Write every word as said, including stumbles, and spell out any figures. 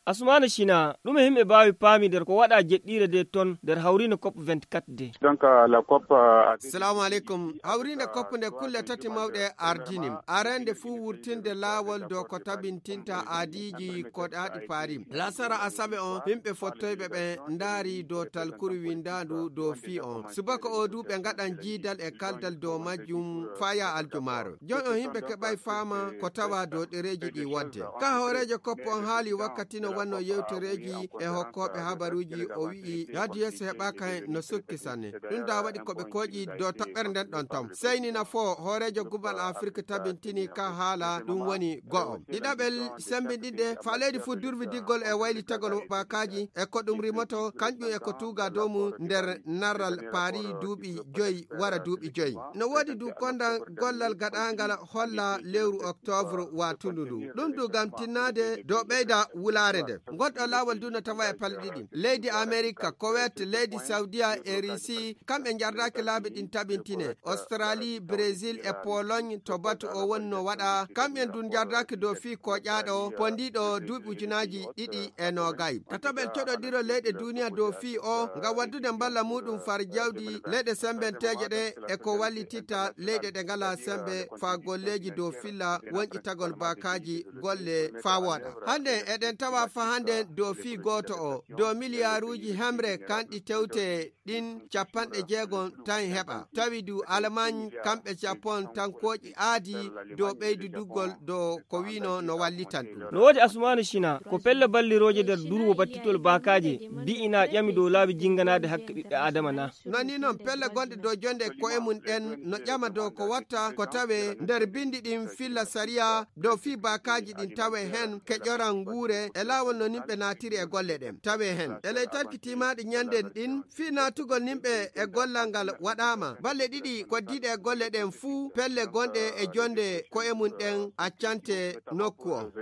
Asumaana Sina, ɗume himɓe mbaawi paami nder ko waɗa jeɗɗiire de ton nder hawriinde cop vingt-quatre de? Donc, euh, la cop, euh, a- Salamu aleykum. Hawriinde cop nde kulle tati mawɗe ardini. Arande fuu wurtinde laawol dow ko tabintinta aadiiji ko ɗaaɗi paari. Lasara asawe on, himɓe fottoyɓe ɓen ndaari dow talkuru windaandu dow fii on. Subaka o du ɓe ngaɗan jiidal e kaldal dow majjum faya aljumaaro. Jon on himɓe keɓay faama ko tawa dow ɗereeji ɗi wodde. Ka hooreejo koppo on haali wakkati no wanno yewtereeji e hokkooɓe habaruuji, o wi'i yaadu yeeso heɓaaka hen no sukki sanne. Ɗum da waɗi ko ɓe kooƴi dow toɓɓere nden ɗon ton. Seyni na fo hooreejo gubal Afirka tabintini ka haala ɗum woni go'o. Ɗiɗaɓel sembinɗinde fa leydi fuu durwi diggol e waylitagol bakaaji e ko ɗum rimoto kanƴum e ko tuuga dow mum nder narral paari duuɓi joyi wara duuɓi joyi. No woodi du kondan gollal gaɗaangal holla lewru octobre watundu ndu. Ɗum du ngam tinnaade dow ɓeyda wulaare nde. Ngonɗo laawol du no tawa e palɗe ɗiɗi. Leydi Amerika, Kuwait, leydi Saudiya e Risi, kamɓe njardaaki laabi ɗin tabintine. Australie, Brésil e Pologne to batu o woni no waɗa. Kamɓen du njardaaki dow fii koƴaaɗo pondiiɗo duuɓi ujunaaji ɗiɗi e noogay. Tataɓel coɗodiro leyɗe duniya dow fii o ngam waddude mballa muɗum far jawdi leyɗe sembenteeje ɗe e ko wallititta leyɗe ɗe ngalaa sembe faa golleeji dow filla wonƴitagol baakaaji golle faa wooɗa. Hannde eɗen tawa faa hannde dow fii gooto o dow miliyaaruuji hemre kanɗi tewte ɗin capanɗe jeegom tan heɓa. Tawi du Almaañ kamɓe Japon tankooƴi aadi dow ɓeyduduggol dow ko wiino no wallitan ɗum. No woodi Asumaanu Sina, ko pelle ballirooje nder durwo battitol baakaaje, bi'inaa ƴami dow laabi jinnganaade hakke ɓiɓɓe Aadama na? Non ni non pelle gonɗe dow jonde ko'e mum ɗen no ƴama dow ko watta ko tawe nder bindi ɗin filla sariya dow fii baakaaji ɗin tawe hen keƴoran nguure e laawol no nimɓe naatiri e golle ɗen tawe hen. E ley tarki tiimaaɗi ñanden ɗin fii naatugol nimɓe e gollal ngal waɗaama. Balle ɗiɗi koddiiɗe e golle ɗen fuu pelle gonɗe e jonde ko'e mum ɗen accante nokku on.